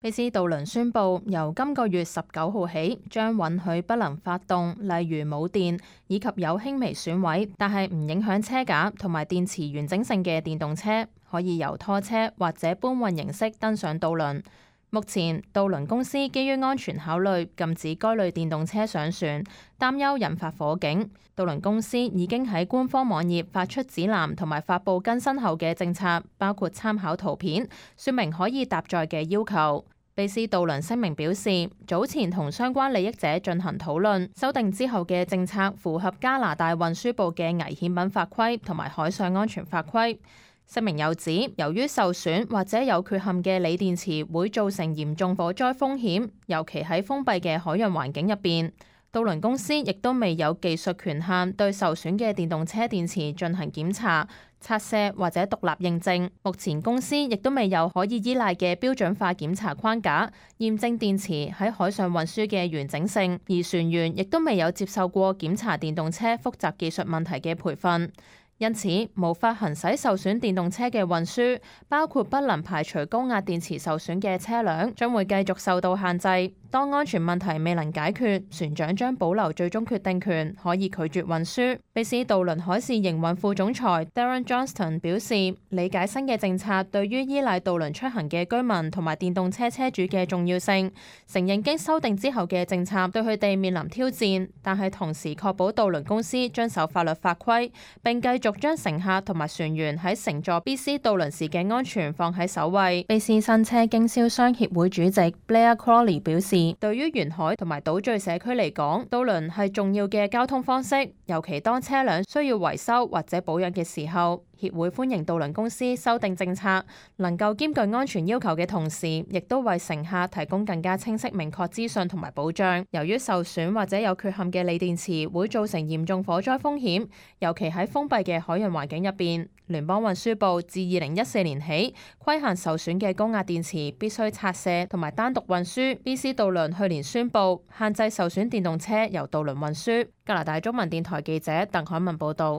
卑斯渡輪宣布，由今個月19號起，將允許不能發動，例如冇電以及有輕微損毀，但係唔影響車架同埋電池完整性嘅電動車，可以由拖車或者搬運形式登上渡輪。目前，渡輪公司基於安全考慮，禁止該類電動車上船，擔憂引發火警。渡輪公司已經喺官方網頁發出指南同埋發布更新後嘅政策，包括參考圖片，說明可以搭載嘅要求。卑斯渡輪聲明表示，早前同相關利益者進行討論，修訂之後嘅政策符合加拿大運輸部嘅危險品法規同埋海上安全法規。聲明又指，由於受損或者有缺陷嘅鋰電池會造成嚴重火災風險，尤其喺封閉嘅海洋環境入邊。渡輪公司亦都未有技術權限對受損嘅電動車電池進行檢查、拆卸或者獨立認證。目前公司亦都未有可以依賴嘅標準化檢查框架，驗證電池喺海上運輸嘅完整性，而船員亦都未有接受過檢查電動車複雜技術問題嘅培訓。因此，無法行使受損電動車嘅運輸，包括不能排除高壓電池受損嘅車輛，將會繼續受到限制。當安全問題未能解決，船長將保留最終決定權，可以拒絕運輸。卑斯渡輪海事營運副總裁 Darren Johnston 表示，理解新嘅政策對於依賴渡輪出行嘅居民同埋電動車車主嘅重要性，承認經修訂之後嘅政策對佢哋面臨挑戰，但係同時確保渡輪公司遵守法律法規，並繼續將乘客同埋船員喺乘坐卑斯渡輪時嘅安全放喺首位。卑斯新車經銷商協會主席 Blair Crawley 表示，對於沿海同埋島嶼社區嚟講，渡輪係重要嘅交通方式，尤其當車輛需要維修或者保養嘅時候。協會歡迎渡輪公司修訂政策，能夠兼具安全要求嘅同時，亦都為乘客提供更加清晰明確資訊同埋保障。由於受損或者有缺陷嘅鋰電池會造成嚴重火災風險，尤其喺封閉嘅海洋環境入邊。聯邦運輸部自2014年起規限受損嘅高壓電池必須拆卸同埋單獨運輸。卑斯渡輪去年宣布限制受損電動車由渡輪運輸。加拿大中文電台記者鄧海文報導。